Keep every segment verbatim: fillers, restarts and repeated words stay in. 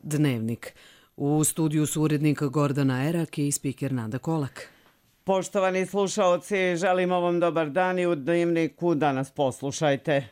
Dnevnik. U studiju su urednik Gordana Erak i spiker Nada Kolak. Poštovani slušaoci, želimo vam dobar dan i u Dnevniku danas poslušajte.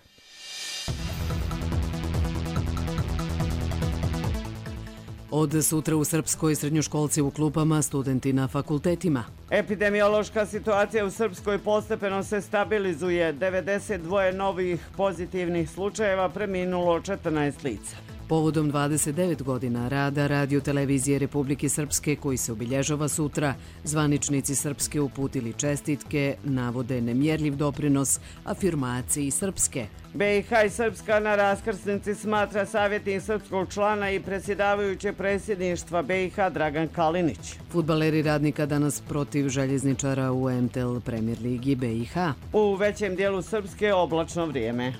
Od sutra u Srpskoj srednjoškolci u klupama, studenti na fakultetima. Epidemiološka situacija u Srpskoj postepeno se stabilizuje. devedeset dva novih pozitivnih slučajeva, preminulo četrnaest lica. Povodom dvadeset devet godina rada Radio televizije Republike Srpske, koji se obilježava sutra, zvaničnici Srpske uputili čestitke, navode nemjerljiv doprinos afirmaciji Srpske. B i H i Srpska na raskrsnici smatra savjetnik srpskog člana i predsjedavajuće predsjedništva B i H Dragan Kalinić. Fudbaleri Radnika danas protiv željezničara u M T L Premier Ligi B i H. U većem dijelu Srpske oblačno vrijeme.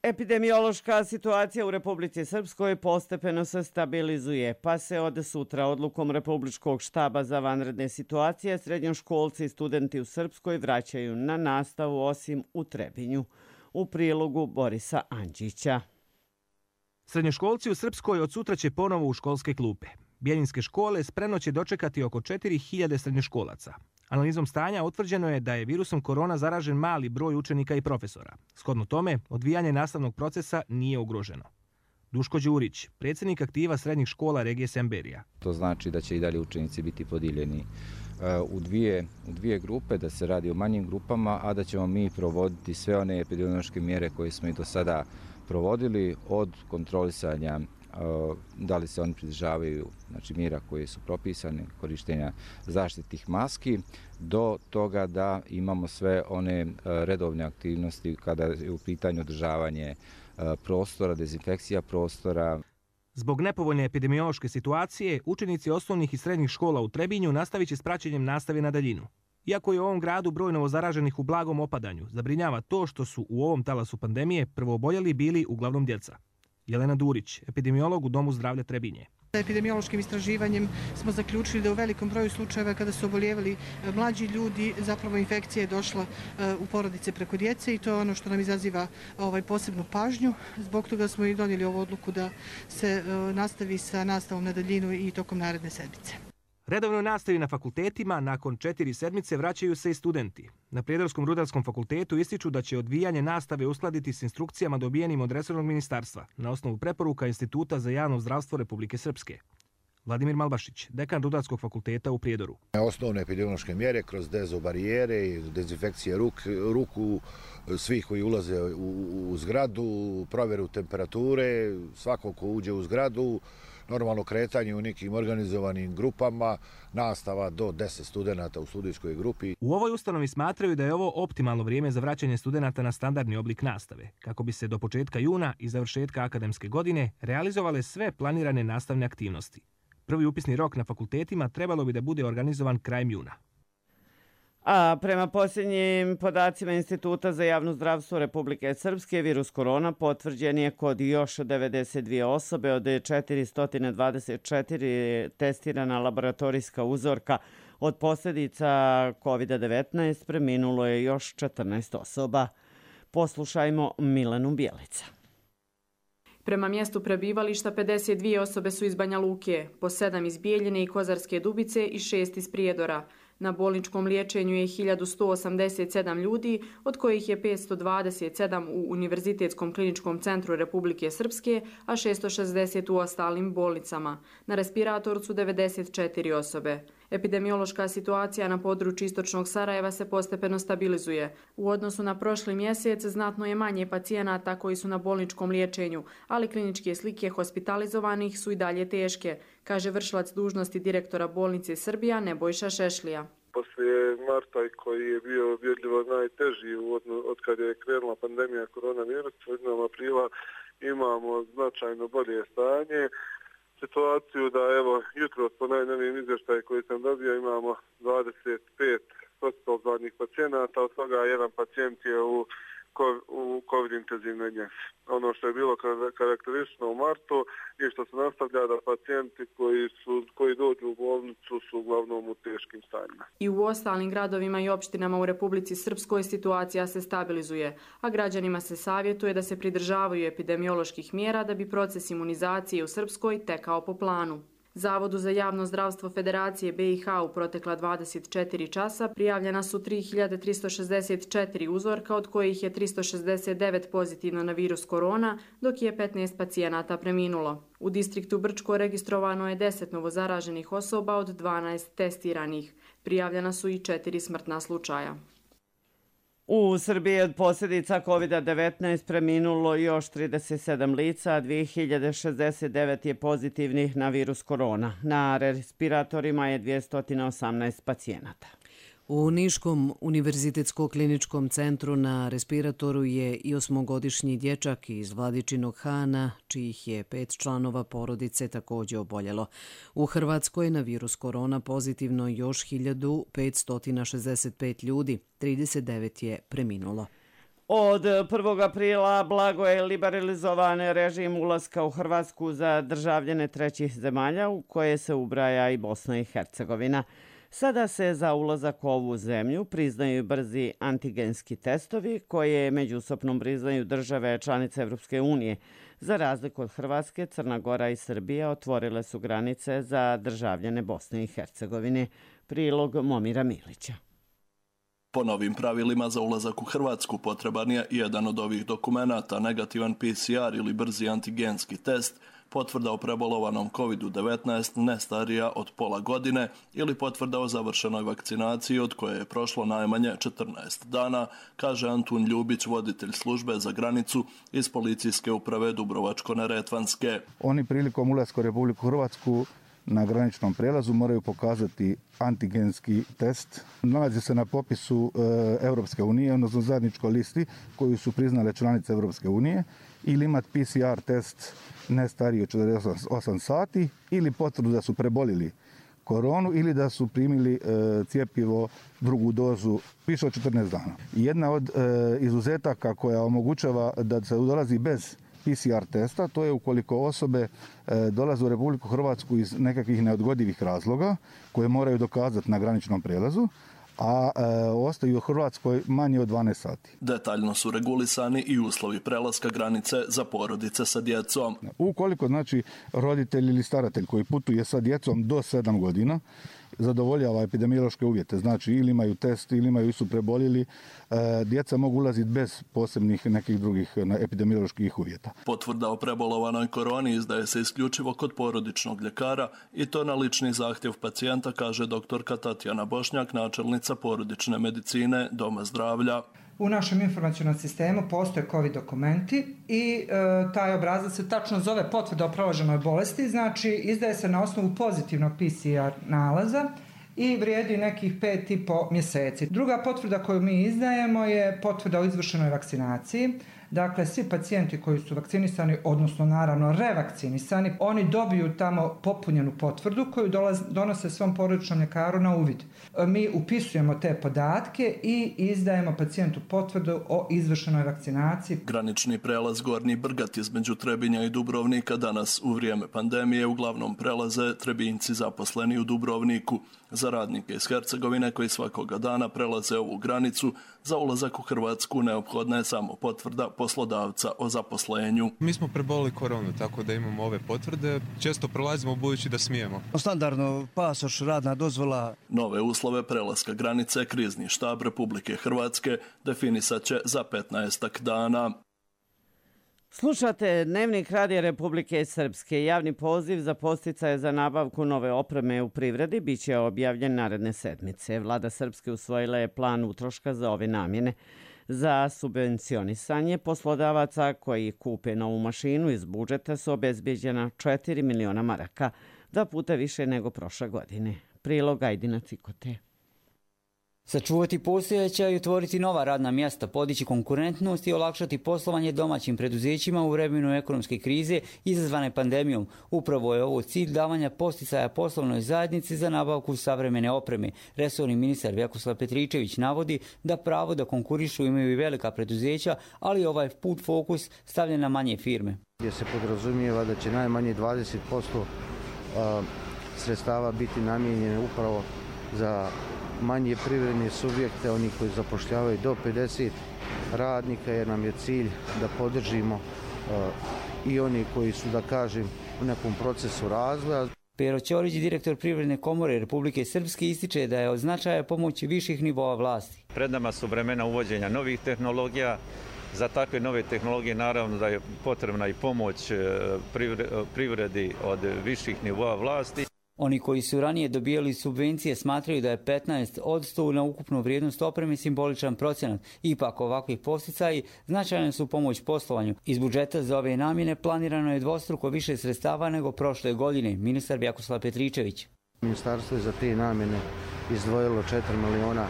Epidemiološka situacija u Republici Srpskoj postepeno se stabilizuje, pa se od sutra odlukom Republičkog štaba za vanredne situacije srednjoškolci i studenti u Srpskoj vraćaju na nastavu osim u Trebinju. U prilogu Borisa Andžića. Srednjoškolci u Srpskoj od sutra će ponovo u školske klupe. Bjeljinske škole spremno će dočekati oko četiri hiljade srednjoškolaca. Analizom stanja utvrđeno je da je virusom korona zaražen mali broj učenika i profesora. Shodno tome, odvijanje nastavnog procesa nije ugroženo. Duško Đurić, predsjednik aktiva srednjih škola regije Semberija. To znači da će i dalje učenici biti podijeljeni u dvije, u dvije grupe, da se radi o manjim grupama, a da ćemo mi provoditi sve one epidemiološke mjere koje smo i do sada provodili, od kontrolisanja da li se oni pridržavaju, znači, mjera koje su propisane, korištenja zaštitnih maski, do toga da imamo sve one redovne aktivnosti kada je u pitanju održavanje prostora, dezinfekcija prostora. Zbog nepovoljne epidemiološke situacije, učenici osnovnih i srednjih škola u Trebinju nastavit će s praćenjem nastave na daljinu. Iako je u ovom gradu broj novozaraženih u blagom opadanju, zabrinjava to što su u ovom talasu pandemije prvooboljeli bili uglavnom djeca. Jelena Durić, epidemiolog u Domu zdravlja Trebinje. Epidemiološkim istraživanjem smo zaključili da u velikom broju slučajeva kada su obolijevali mlađi ljudi, zapravo infekcija je došla u porodice preko djece i to je ono što nam izaziva ovaj, posebnu pažnju. Zbog toga smo i donijeli ovu odluku da se nastavi sa nastavom na daljinu i tokom naredne sedmice. Redovnoj nastavi na fakultetima nakon četiri sedmice vraćaju se i studenti. Na Prijedorskom rudarskom fakultetu ističu da će odvijanje nastave uskladiti s instrukcijama dobijenim od resornog ministarstva na osnovu preporuka Instituta za javno zdravstvo Republike Srpske. Vladimir Malbašić, dekan Rudarskog fakulteta u Prijedoru. Osnovne epidemiološke mjere kroz dezobarijere i dezinfekcije ruk, ruku svih koji ulaze u, u zgradu, provjeru temperature, svako ko uđe u zgradu, normalno kretanje u nekim organizovanim grupama, nastava do deset studenata u studijskoj grupi. U ovoj ustanovi smatraju da je ovo optimalno vrijeme za vraćanje studenata na standardni oblik nastave, kako bi se do početka juna i završetka akademske godine realizovale sve planirane nastavne aktivnosti. Prvi upisni rok na fakultetima trebalo bi da bude organizovan krajem juna. A prema posljednjim podacima Instituta za javno zdravstvo Republike Srpske, virus korona potvrđen je kod još devedeset dvije osobe od četiristo dvadeset četiri testirana laboratorijska uzorka. Od posljedica kovid devetnaest preminulo je još četrnaest osoba. Poslušajmo Milenu Bjelica. Prema mjestu prebivališta pedeset dvije osobe su iz Banja Luke, po sedam iz Bijeljine i Kozarske Dubice i šest iz Prijedora. Na bolničkom liječenju je hiljadu sto osamdeset sedam ljudi, od kojih je petsto dvadeset sedam u Univerzitetskom kliničkom centru Republike Srpske, a šesto šezdeset u ostalim bolnicama. Na respiratoru su devedeset četiri osobe. Epidemiološka situacija na području istočnog Sarajeva se postepeno stabilizuje. U odnosu na prošli mjesec znatno je manje pacijenata koji su na bolničkom liječenju, ali kliničke slike hospitalizovanih su i dalje teške, kaže vršilac dužnosti direktora bolnice Srbija Nebojša Šešlija. Poslije marta koji je bio vidljivo najteži od kada je krenula pandemija koronavirusa, od aprila imamo značajno bolje stanje. Situaciju da evo jutro po najnovijim izvještaj koji sam dobio imamo dvadeset pet hospitalizovanih pacijenata, od toga jedan pacijent je u u COVID intenzivnoj njezi. Ono što je bilo karakteristično u martu i što se nastavlja da pacijenti koji, su, koji dođu u bolnicu su uglavnom u teškim stanjima. I u ostalim gradovima i opštinama u Republici Srpskoj situacija se stabilizuje, a građanima se savjetuje da se pridržavaju epidemioloških mjera da bi proces imunizacije u Srpskoj tekao po planu. Zavodu za javno zdravstvo Federacije B i H u protekla dvadeset četiri časa prijavljena su tri hiljade tristo šezdeset četiri uzorka, od kojih je tristo šezdeset devet pozitivno na virus korona, dok je petnaest pacijenata preminulo. U distriktu Brčko registrovano je deset novozaraženih osoba od dvanaest testiranih. Prijavljena su i četiri smrtna slučaja. U Srbiji od posljedica kovid devetnaest preminulo još trideset sedam lica, a dvije hiljade šezdeset devet je pozitivnih na virus korona. Na respiratorima je dvjesto osamnaest pacijenata. U Niškom univerzitetsko-kliničkom centru na respiratoru je i osmogodišnji dječak iz Vladičinog Hana, čijih je pet članova porodice također oboljelo. U Hrvatskoj na virus korona pozitivno još hiljadu petsto šezdeset pet ljudi, trideset devet je preminulo. Od prvog aprila blago je liberalizovan režim ulaska u Hrvatsku za državljane trećih zemalja, u koje se ubraja i Bosna i Hercegovina. Sada se za ulazak u ovu zemlju priznaju brzi antigenski testovi koje međusobno priznaju države članice Evropske unije. Za razliku od Hrvatske, Crna Gora i Srbija otvorile su granice za državljane Bosne i Hercegovine. Prilog Momira Milića. Po novim pravilima za ulazak u Hrvatsku potreban je jedan od ovih dokumenata, negativan P C R ili brzi antigenski test, potvrda o prebolovanom kovid devetnaest ne starija od pola godine ili potvrda o završenoj vakcinaciji od koje je prošlo najmanje četrnaest dana, kaže Antun Ljubić, voditelj službe za granicu iz policijske uprave Dubrovačko-neretvanske. Oni prilikom ulaska u Republiku Hrvatsku na graničnom prelazu moraju pokazati antigenski test. Nalazi se na popisu e, Europske unije, odnosno zajedničkoj listi koju su priznale članice Europske unije, ili imati P C R test ne stariji od četrdeset osam sati ili potvrdu da su prebolili koronu ili da su primili e, cjepivo drugu dozu više od četrnaest dana. Jedna od e, izuzetaka koja omogućava da se dolazi bez P C R testa, to je ukoliko osobe e, dolaze u Republiku Hrvatsku iz nekakvih neodgodivih razloga koje moraju dokazati na graničnom prelazu, a e, ostaju u Hrvatskoj manje od dvanaest sati. Detaljno su regulisani i uslovi prelaska granice za porodice sa djecom. Ukoliko znači roditelj ili staratelj koji putuje sa djecom do sedam godina zadovoljava epidemiološke uvjete, znači ili imaju test ili imaju su preboljeli, e, djeca mogu ulaziti bez posebnih nekih drugih epidemioloških uvjeta. Potvrda o prebolovanoj koroni izdaje se isključivo kod porodičnog ljekara i to na lični zahtjev pacijenta, kaže doktorka Tatjana Bošnjak, načelnica porodične medicine Doma zdravlja. U našem informacionom sistemu postoje COVID dokumenti i e, taj obrazac se tačno zove potvrda o proloženoj bolesti, znači izdaje se na osnovu pozitivnog P C R nalaza i vrijedi nekih pet i po mjeseci. Druga potvrda koju mi izdajemo je potvrda o izvršenoj vakcinaciji. Dakle, svi pacijenti koji su vakcinisani, odnosno naravno revakcinisani, oni dobiju tamo popunjenu potvrdu koju dolaz, donose svom porodičnom ljekaru na uvid. Mi upisujemo te podatke i izdajemo pacijentu potvrdu o izvršenoj vakcinaciji. Granični prelaz Gornji Brgat između Trebinja i Dubrovnika danas u vrijeme pandemije uglavnom prelaze Trebinjci zaposleni u Dubrovniku. Za radnike iz Hercegovine koji svakoga dana prelaze ovu granicu, za ulazak u Hrvatsku neophodna je samo potvrda poslodavca o zaposlenju. Mi smo prebolili koronu, tako da imamo ove potvrde. Često prolazimo budući da smijemo. Standardno pasoš, radna dozvola. Nove uslove prelaska granice krizni štab Republike Hrvatske definisat će za petnaestak dana. Slušate Dnevnik Radija Republike Srpske. Javni poziv za podsticaje za nabavku nove opreme u privredi biće objavljen naredne sedmice. Vlada Srpske usvojila je plan utroška za ove namjene. Za subvencionisanje poslodavaca koji kupe novu mašinu iz budžeta su obezbeđena četiri miliona maraka, dva puta više nego prošle godine. Prilog Ajdina Cikote. Sačuvati postojeća i otvoriti nova radna mjesta, podići konkurentnost i olakšati poslovanje domaćim preduzećima u vremenu ekonomske krize izazvane pandemijom. Upravo je ovo cilj davanja posticaja poslovnoj zajednici za nabavku savremene opreme. Resorni ministar Vjakoslav Petričević navodi da pravo da konkurišu imaju i velika preduzeća, ali ovaj put fokus stavljen na manje firme. Gdje se podrazumijeva da će najmanje dvadeset posto sredstava biti namijenjene upravo za manje privredne subjekte, oni koji zapošljavaju do pedeset radnika, jer nam je cilj da podržimo uh, i oni koji su, da kažem, u nekom procesu razvoja. Pero Ćorić, direktor Privredne komore Republike Srpske, ističe da je od značaja pomoći viših nivoa vlasti. Pred nama su vremena uvođenja novih tehnologija. Za takve nove tehnologije naravno da je potrebna i pomoć privredi od viših nivoa vlasti. Oni koji su ranije dobijali subvencije smatraju da je petnaest odsto na ukupnu vrijednost opreme simboličan procenat. Ipak ovakvi posticaji značajne su pomoć poslovanju. Iz budžeta za ove namjene planirano je dvostruko više sredstava nego prošle godine, ministar Vjakoslav Petričević. Ministarstvo je za te namjene izdvojilo četiri miliona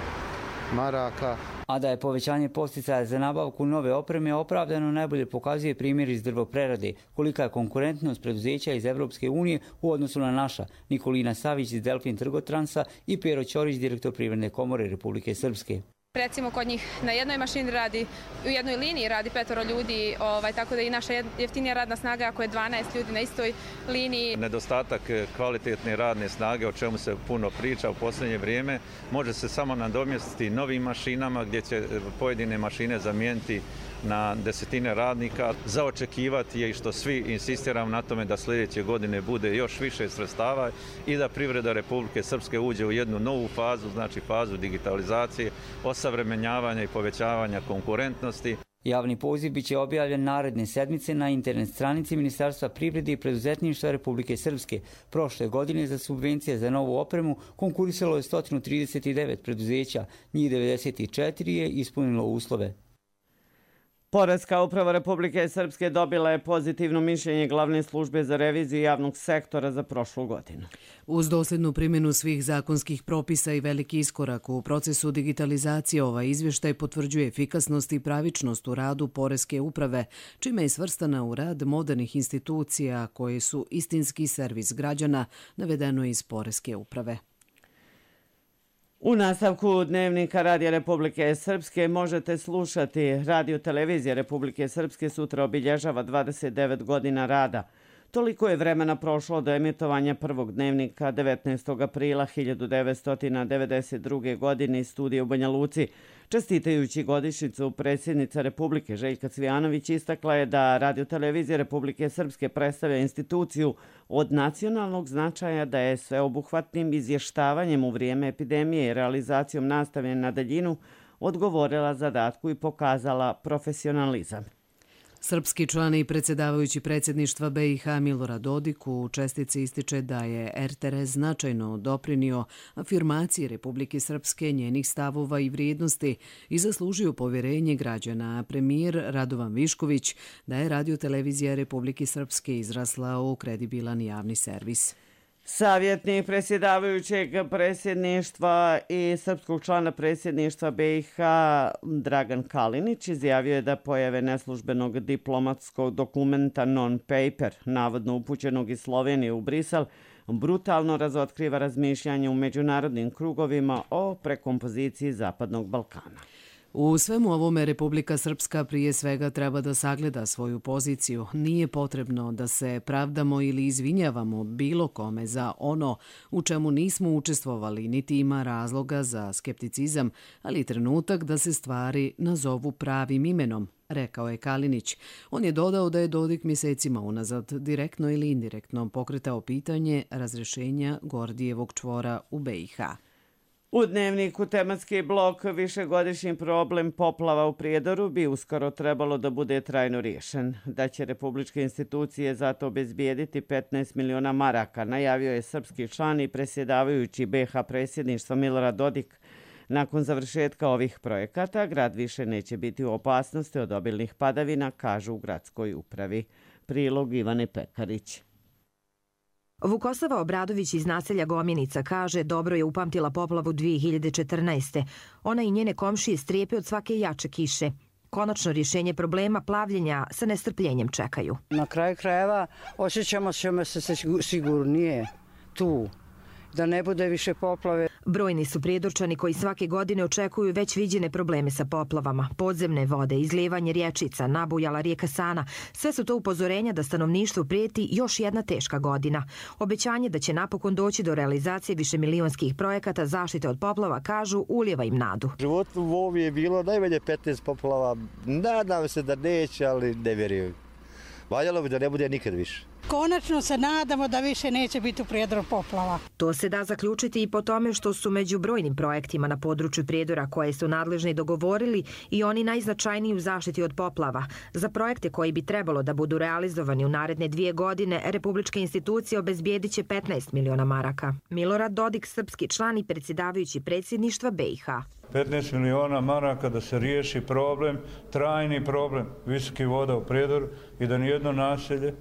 maraka. A da je povećanje posticaja za nabavku nove opreme opravdano najbolje pokazuje primjer iz drvoprerade. Kolika je konkurentnost preduzeća iz Evropske unije u odnosu na naša. Nikolina Savić iz Delfin Trgotransa i Pero Ćorić, direktor Privredne komore Republike Srpske. Recimo kod njih na jednoj mašini radi, u jednoj liniji radi petoro ljudi, ovaj, tako da i naša jeftinija radna snaga ako je dvanaest ljudi na istoj liniji. Nedostatak kvalitetne radne snage, o čemu se puno priča u posljednje vrijeme, može se samo nadomjestiti novim mašinama gdje će pojedine mašine zamijeniti na desetine radnika. Za očekivati je i što svi insistiramo na tome da sljedeće godine bude još više sredstava i da privreda Republike Srpske uđe u jednu novu fazu, znači fazu digitalizacije, osavremenjavanja i povećavanja konkurentnosti. Javni poziv biće objavljen naredne sedmice na internet stranici Ministarstva privrede i preduzetništva Republike Srpske. Prošle godine za subvencije za novu opremu konkurisalo je sto trideset devet preduzeća, njih devedeset četiri je ispunilo uslove. Poreska uprava Republike Srpske dobila je pozitivno mišljenje glavne službe za reviziju javnog sektora za prošlu godinu. Uz dosljednu primjenu svih zakonskih propisa i veliki iskorak u procesu digitalizacije, ovaj izvještaj potvrđuje efikasnost i pravičnost u radu Poreske uprave, čime je svrstana u rad modernih institucija koje su istinski servis građana, navedeno iz Poreske uprave. U nastavku Dnevnika Radija Republike Srpske možete slušati Radio Televizija Republike Srpske sutra obilježava dvadeset devet godina rada. Toliko je vremena prošlo do emitovanja prvog dnevnika devetnaestog aprila hiljadu devetsto devedeset druge. godine iz studija u Banja Luci. Čestitajući godišnjicu, predsjednica Republike Željka Cvijanović istakla je da Radio Televizija Republike Srpske predstavlja instituciju od nacionalnog značaja, da je sveobuhvatnim izvještavanjem u vrijeme epidemije i realizacijom nastave na daljinu odgovorila zadatku i pokazala profesionalizam. Srpski član i predsjedavajući predsjedništva B i H Milorad Dodik u čestici ističe da je R T R značajno doprinio afirmaciji Republike Srpske, njenih stavova i vrijednosti i zaslužio povjerenje građana. A premijer Radovan Višković da je Radio Televizija Republike Srpske izrasla u kredibilan javni servis. Savjetnik predsjedavajućeg predsjedništva i srpskog člana predsjedništva B i H Dragan Kalinić izjavio je da pojave neslužbenog diplomatskog dokumenta non-paper, navodno upućenog iz Slovenije u Brisel, brutalno razotkriva razmišljanje u međunarodnim krugovima o prekompoziciji Zapadnog Balkana. U svemu ovome Republika Srpska prije svega treba da sagleda svoju poziciju. Nije potrebno da se pravdamo ili izvinjavamo bilo kome za ono u čemu nismo učestvovali, niti ima razloga za skepticizam, ali trenutak da se stvari nazovu pravim imenom, rekao je Kalinić. On je dodao da je Dodik mjesecima unazad direktno ili indirektno pokretao pitanje razrješenja Gordijevog čvora u B i H. U dnevniku tematski blok višegodišnji problem poplava u Prijedoru bi uskoro trebalo da bude trajno riješen. Da će republičke institucije zato obezbijediti petnaest miliona maraka, najavio je srpski član i predsjedavajući B i H predsjedništva Milorad Dodik. Nakon završetka ovih projekata, grad više neće biti u opasnosti od obilnih padavina, kažu u gradskoj upravi. Prilog Ivane Pekarić. Vukosava Obradović iz naselja Gomjenica kaže dobro je upamtila poplavu dvije hiljade četrnaeste. Ona i njene komšije strepe od svake jače kiše. Konačno rješenje problema plavljenja sa nestrpljenjem čekaju. Na kraju krajeva osjećamo se sigurnije tu, da ne bude više poplave. Brojni su Prijedorčani koji svake godine očekuju već viđene probleme sa poplavama. Podzemne vode, izlijevanje rječica, nabujala rijeka Sana. Sve su to upozorenja da stanovništvu prijeti još jedna teška godina. Obećanje da će napokon doći do realizacije višemilionskih projekata zaštite od poplava, kažu, ulijeva im nadu. U životu u ovom je bilo najmanje petnaest poplava. Nadam se da neće, ali ne vjerujem. Valjalo bi da ne bude nikad više. Konačno se nadamo da više neće biti u Prijedoru poplava. To se da zaključiti i po tome što su među brojnim projektima na području Prijedora koje su nadležni dogovorili i oni najznačajniji u zaštiti od poplava. Za projekte koji bi trebalo da budu realizovani u naredne dvije godine, republičke institucije obezbijedit će petnaest miliona maraka. Milorad Dodik, srpski član i predsjedavajući predsjedništva B i H. petnaest miliona maraka da se riješi problem, trajni problem visokih voda u Prijedoru i da nijedno naselje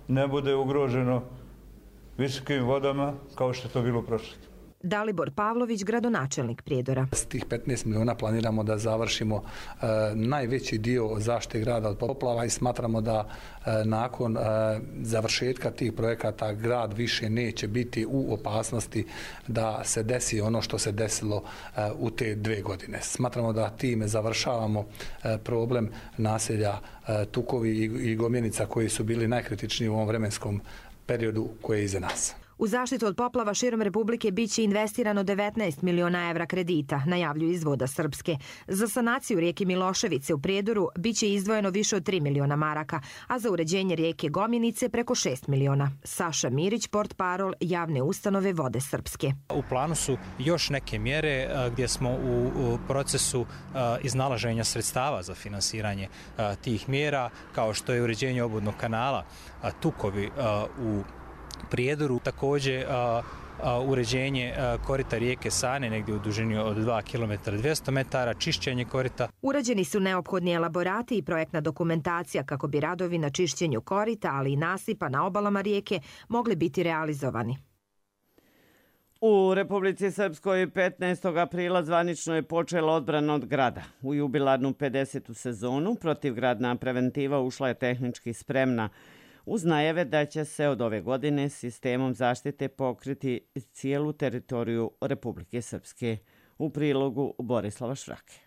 ne bude ugroženo visokim vodama kao što je to bilo u prošlosti. Dalibor Pavlović, gradonačelnik Prijedora. S tih petnaest miliona planiramo da završimo e, najveći dio zaštite grada od poplava i smatramo da e, nakon e, završetka tih projekata grad više neće biti u opasnosti da se desi ono što se desilo e, u te dve godine. Smatramo da time završavamo e, problem naselja e, Tukovi i, i Gomjenica koji su bili najkritičniji u ovom vremenskom periodu koji je iza nas. U zaštitu od poplava širom Republike biće investirano devetnaest miliona evra kredita, najavljuju iz Voda Srpske. Za sanaciju rijeke Miloševice u Prijedoru biće izdvojeno više od tri miliona maraka, a za uređenje rijeke Gomjenice preko šest miliona. Saša Mirić, portparol javne ustanove Vode Srpske. U planu su još neke mjere gdje smo u, u procesu iznalaženja sredstava za finansiranje tih mjera, kao što je uređenje obvodnog kanala Tukovi u Prijedoru, također a, a, uređenje a, korita rijeke Sane negdje u dužini od dva kilometra dvjesto metara, čišćenje korita. Urađeni su neophodni elaborati i projektna dokumentacija kako bi radovi na čišćenju korita, ali i nasipa na obalama rijeke mogli biti realizovani. U Republici Srpskoj petnaestog aprila zvanično je počela odbrana od grada. U jubilarnu pedesetu sezonu protivgradna preventiva ušla je tehnički spremna, uz najave da će se od ove godine sistemom zaštite pokriti cijelu teritoriju Republike Srpske. U prilogu Borislava Švrake.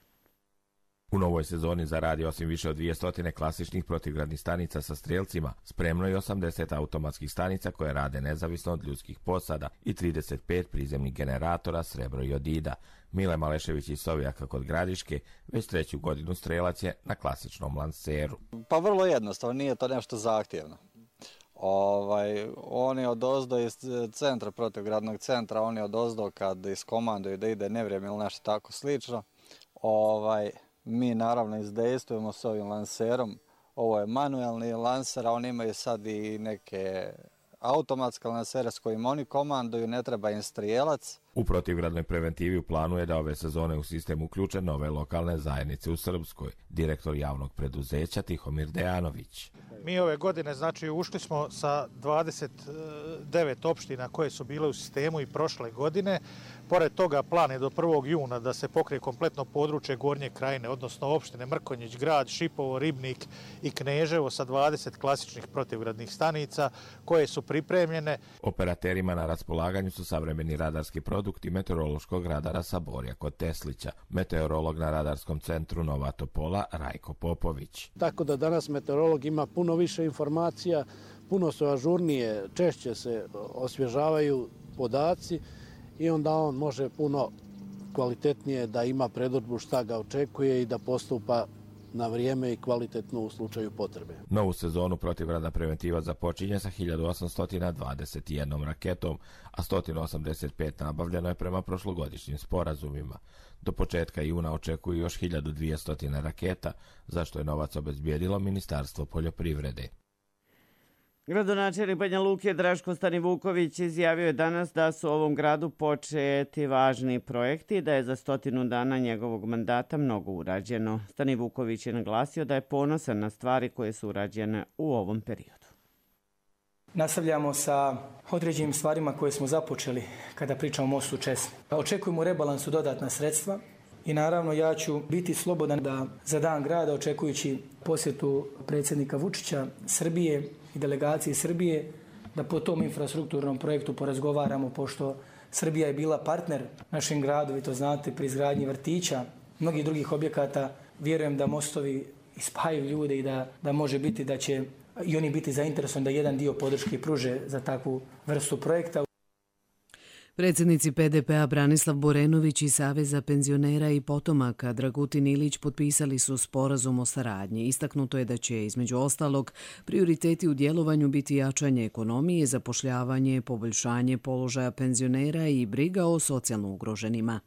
U novoj sezoni zaradi osim više od dvjesto klasičnih protivgradnih stanica sa strelcima, spremno je osamdeset automatskih stanica koje rade nezavisno od ljudskih posada i trideset pet prizemnih generatora srebro i odida. Mile Malešević iz Sovjaka kod Gradiške već treću godinu strelac je na klasičnom lanceru. Pa vrlo jednostavno, nije to nešto zahtjevno. Ovaj, oni od ozdo iz centra, protivgradnog centra, oni od ozdo kad iskomanduju da ide nevrijeme ili nešto tako slično, ovaj, mi naravno izdejstvujemo s ovim lancerom. Ovo je manuelni lancer, a oni imaju sad i neke automatske lancere s kojim oni komanduju, ne treba im strijelac. U protivgradnoj preventivi u planu je da ove sezone u sistem uključe nove lokalne zajednice u Srpskoj, direktor javnog preduzeća Tihomir Dejanović. Mi ove godine, znači, ušli smo sa dvadeset devet opština koje su bile u sistemu i prošle godine. Pored toga plan je do prvog juna da se pokrije kompletno područje Gornje Krajine, odnosno opštine Mrkonjić, Grad, Šipovo, Ribnik i Kneževo sa dvadeset klasičnih protivgradnih stanica koje su pripremljene. Operaterima na raspolaganju su savremeni radarski produkti meteorološkog radara Saborja kod Teslića, meteorolog na radarskom centru Nova Topola Rajko Popović. Tako da danas meteorolog ima puno više informacija, puno su ažurnije, češće se osvježavaju podaci i onda on može puno kvalitetnije da ima predodžbu šta ga očekuje i da postupa na vrijeme i kvalitetno u slučaju potrebe. Novu sezonu protivgradna preventiva započinje sa hiljadu osamsto dvadeset jednom raketom, a sto osamdeset pet nabavljeno je prema prošlogodišnjim sporazumima. Do početka juna očekuju još hiljadu dvjesto raketa, za što je novac obezbijedilo Ministarstvo poljoprivrede. Gradonačelnik Banja Luke Draško Stanivuković izjavio je danas da su u ovom gradu početi važni projekti i da je za stotinu dana njegovog mandata mnogo urađeno. Stanivuković je naglasio da je ponosan na stvari koje su urađene u ovom periodu. Nastavljamo sa određenim stvarima koje smo započeli kada pričamo o mostu Česme. Očekujemo u rebalansu dodatna sredstva i naravno ja ću biti slobodan da za dan grada, očekujući posjetu predsjednika Vučića Srbije i delegaciji Srbije, da po tom infrastrukturnom projektu porazgovaramo, pošto Srbija je bila partner našem gradu, vi to znate, pri izgradnji vrtića, mnogih drugih objekata. Vjerujem da mostovi ispajaju ljude i da, da može biti da će i oni biti zainteresovani da jedan dio podrške pruže za takvu vrstu projekta. Predsjednici P D P-a Branislav Borenović i Saveza penzionera i potomaka Dragutin Ilić potpisali su sporazum o saradnji. Istaknuto je da će, između ostalog, prioriteti u djelovanju biti jačanje ekonomije, zapošljavanje, poboljšanje položaja penzionera i briga o socijalno ugroženima.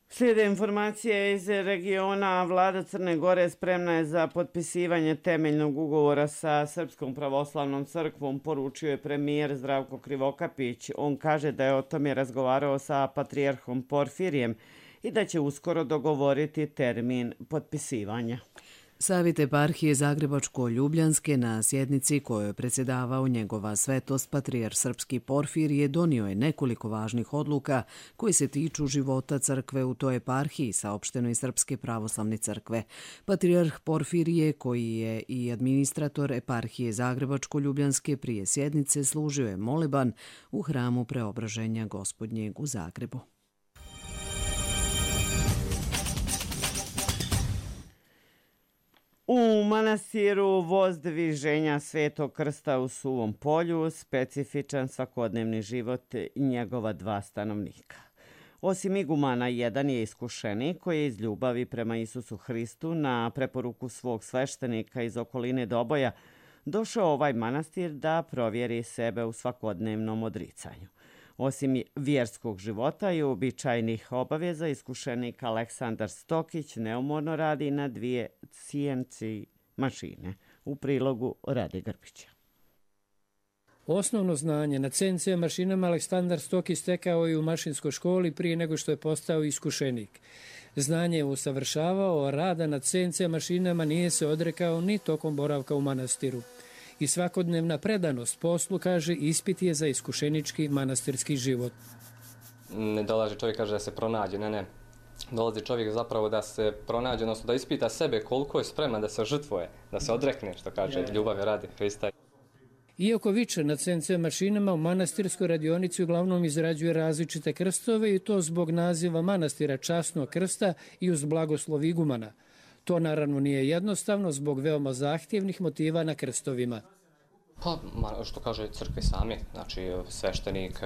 Slijede informacije iz regiona. Vlada Crne Gore spremna je za potpisivanje temeljnog ugovora sa Srpskom pravoslavnom crkvom, poručio je premijer Zdravko Krivokapić. On kaže da je o tome razgovarao sa patrijarhom Porfirijem i da će uskoro dogovoriti termin potpisivanja. Savjet eparhije Zagrebačko-Ljubljanske na sjednici kojoj je predsjedavao njegova svetost patrijarh Srpski Porfirije donio je nekoliko važnih odluka koje se tiču života crkve u toj eparhiji, saopšteno iz Srpske pravoslavne crkve. Patrijarh Porfirije, koji je i administrator eparhije Zagrebačko-Ljubljanske, prije sjednice služio je moleban u hramu Preobraženja Gospodnjeg u Zagrebu. U manastiru Vozdviženja Svetog Krsta u Suvom polju specifičan svakodnevni život i njegova dva stanovnika. Osim igumana, jedan je iskušenik koji je iz ljubavi prema Isusu Hristu na preporuku svog sveštenika iz okoline Doboja došao ovaj manastir da provjeri sebe u svakodnevnom odricanju. Osim vjerskog života i uobičajenih obaveza, iskušenik Aleksandar Stokić neumorno radi na dvije C N C mašine. U prilogu Rade Grbića. Osnovno znanje na C N C mašinama Aleksandar Stokić stekao je u mašinskoj školi prije nego što je postao iskušenik. Znanje je usavršavao, a rada na C N C mašinama nije se odrekao ni tokom boravka u manastiru. I svakodnevna predanost poslu, kaže, ispit je za iskušenički manastirski život. Ne dolazi čovjek, kaže, da se pronađe, ne, ne. Dolazi čovjek zapravo da se pronađe, odnosno da ispita sebe koliko je spreman da se žrtvuje, da se odrekne, što kaže, ljubave radi Hrista. Iako viče na C N C mašinama, u manastirskoj radionici uglavnom izrađuje različite krstove i to zbog naziva manastira Časnog krsta i uz blagoslov igumana. To naravno nije jednostavno zbog veoma zahtjevnih motiva na krstovima. Pa, što kaže crkve sami, znači sveštenik,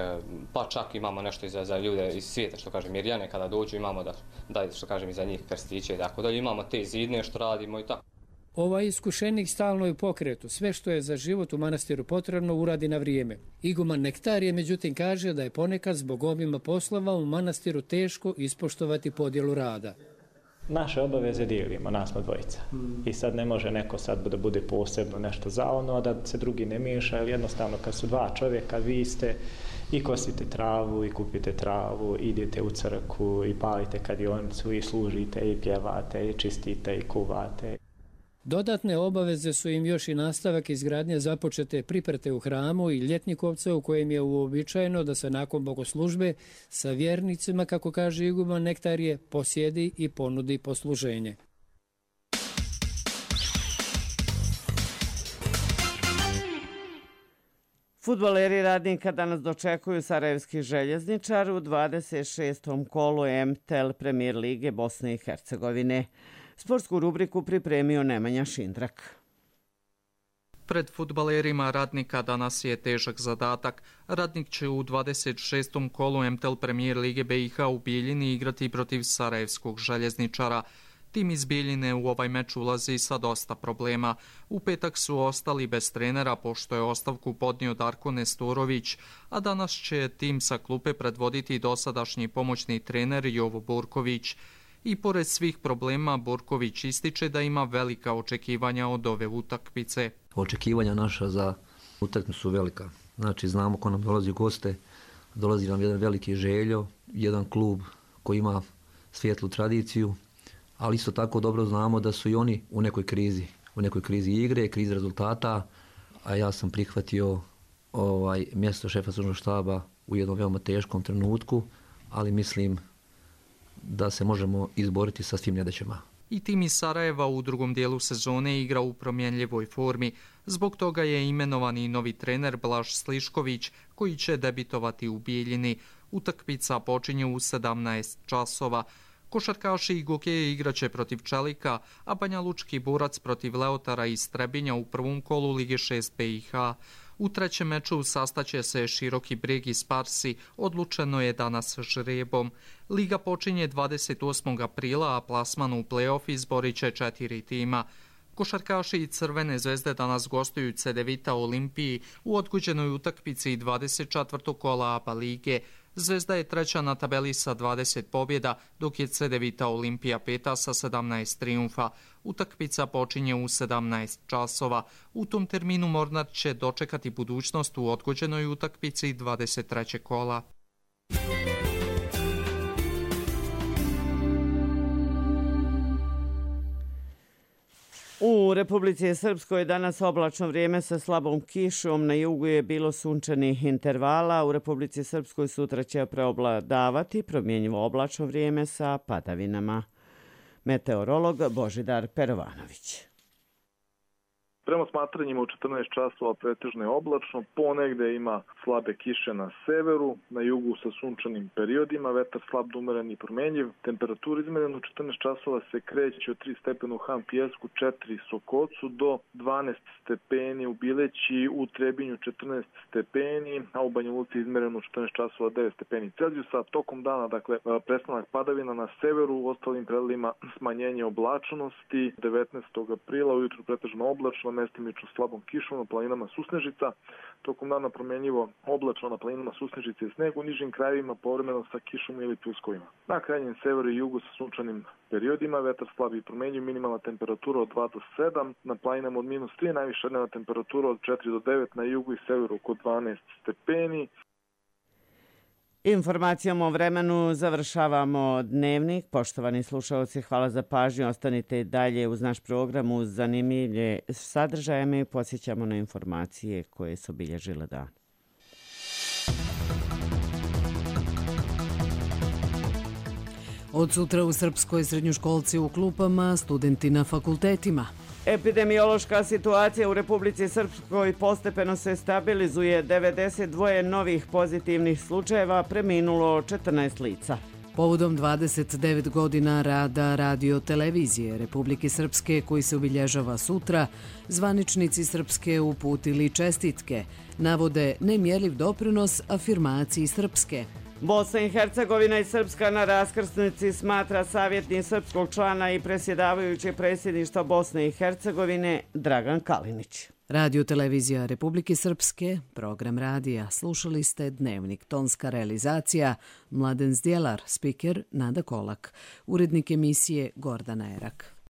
pa čak imamo nešto i za, za ljude iz svijeta, što kaže Mirjane, kada dođu imamo da, da što kažem, i za njih krstiće i tako dalje. Imamo te zidne što radimo i tako. Ovaj iskušenik stalno je u pokretu. Sve što je za život u manastiru potrebno uradi na vrijeme. Iguman Nektarije međutim kaže da je ponekad zbog obima poslova u manastiru teško ispoštovati podjelu rada. Naše obaveze dijelimo, nas smo dvojica. I sad ne može neko sad da bude posebno nešto za ono, a da se drugi ne miješa, jer jednostavno kad su dva čovjeka, vi ste i kosite travu, i kupite travu, idete u crkvu, i palite kadionicu, i služite, i pjevate, i čistite, i kuvate. Dodatne obaveze su im još i nastavak izgradnje započete priprete u hramu i Ljetnikovca, u kojem je uobičajeno da se nakon bogoslužbe sa vjernicima, kako kaže iguman Nektarije, posjedi i ponudi posluženje. Fudbaleri Radnika danas dočekuju Sarajevski željezničar u dvadeset šestom kolu M T L Premier lige Bosne i Hercegovine. Sportsku rubriku pripremio Nemanja Šindrak. Pred fudbalerima Radnika danas je težak zadatak. Radnik će u dvadeset šestom kolu M T L Premier lige B i H u Bijeljini igrati protiv Sarajevskog željezničara. Tim iz Bijeljine u ovaj meč ulazi sa dosta problema. U petak su ostali bez trenera pošto je ostavku podnio Darko Nestorović, a danas će tim sa klupe predvoditi dosadašnji pomoćni trener Jovo Burković. I pored svih problema, Burković ističe da ima velika očekivanja od ove utakmice. Očekivanja naša za utakmicu su velika. Znači, znamo ko nam dolazi u goste, dolazi nam jedan veliki Željo, jedan klub koji ima svijetlu tradiciju, ali isto tako dobro znamo da su i oni u nekoj krizi, u nekoj krizi igre, krizi rezultata, a ja sam prihvatio ovaj, mjesto šefa stručnog štaba u jednom veoma teškom trenutku, ali mislim da se možemo izboriti sa svim nedaćama. I tim iz Sarajeva u drugom dijelu sezone igra u promjenljivoj formi. Zbog toga je imenovan i novi trener Blaž Slišković, koji će debitovati u Bijeljini. Utakmica počinje u sedamnaest časova. Košarkaši i Gokeje igraće protiv Čelika, a Banja Lučki borac protiv Leotara iz Trebinja u prvom kolu Lige šest B i H. U trećem meču sastaće se Široki Brijeg i Sparsi, odlučeno je danas žrebom. Liga počinje dvadeset osmog aprila, a plasman u play-off izborit će četiri tima. Košarkaši i Crvene zvezde danas gostuju Cedevita Olimpiji u odgođenoj utakmici dvadeset četvrtog kola A B A lige. Zvezda je treća na tabeli sa dvadeset pobjeda, dok je Cedevita Olimpija peta sa sedamnaest trijumfa. Utakmica počinje u sedamnaest časova. U tom terminu Mornar će dočekati budućnost u odgođenoj utakmici dvadeset trećeg kola. U Republici Srpskoj je danas oblačno vrijeme sa slabom kišom, na jugu je bilo sunčanih intervala, u Republici Srpskoj sutra će preobladavati promjenjivo oblačno vrijeme sa padavinama. Meteorolog Božidar Perovanović. Prema smatranjima u četrnaest časova pretežno je oblačno, ponegde ima slabe kiše na severu, na jugu sa sunčanim periodima, vetar slab do umeren i promjenjiv. Temperatura izmerena u četrnaest časova se kreće od tri stepena u Han Pijesku, četiri Sokocu do dvanaest stepeni u Bileći, u Trebinju četrnaest stepeni, a u Banja Luci izmereno u četrnaest časova devet stepeni Celzijusa. Tokom dana, dakle, prestanak padavina na severu, u ostalim predelima smanjenje oblačnosti. devetnaestog aprila ujutru pretežno oblačno, mestimično slabom kišom, na planinama susnežica. Tokom dana promjenjivo oblačno, na planinama susnežice i sneg, u nižim krajevima povremeno sa kišom ili pljuskovima. Na krajnjem severu i jugu sa sunčanim periodima, vetar slabi i promjenjiv, minimalna temperatura od dva do sedam, na planinama od minus tri, najviša dnevna temperatura od četiri do devet, na jugu i severu oko dvanaest stepeni. Informacijom o vremenu završavamo dnevnik. Poštovani slušalci, hvala za pažnju. Ostanite dalje uz naš program uz zanimljive sadržaje. Mi podsjećamo na informacije koje su obilježile dan. Od sutra u Srpskoj srednjoškolci u klupama, studenti na fakultetima. Epidemiološka situacija u Republici Srpskoj postepeno se stabilizuje. devedeset dva novih pozitivnih slučajeva, preminulo četrnaest lica. Povodom dvadeset devet godina rada radio televizije Republike Srpske koji se obilježava sutra, zvaničnici Srpske uputili čestitke. Navode nemjerljiv doprinos afirmaciji Srpske. Bosna i Hercegovina i Srpska na raskrsnici smatra savjetnik srpskog člana i presjedavajući predsjedništva Bosne i Hercegovine Dragan Kalinić. Radio televizija Republike Srpske, program radija. Slušali ste Dnevnik, tonska realizacija Mladen Zdjelar, spiker Nada Kolak, urednik emisije Gordana Erak.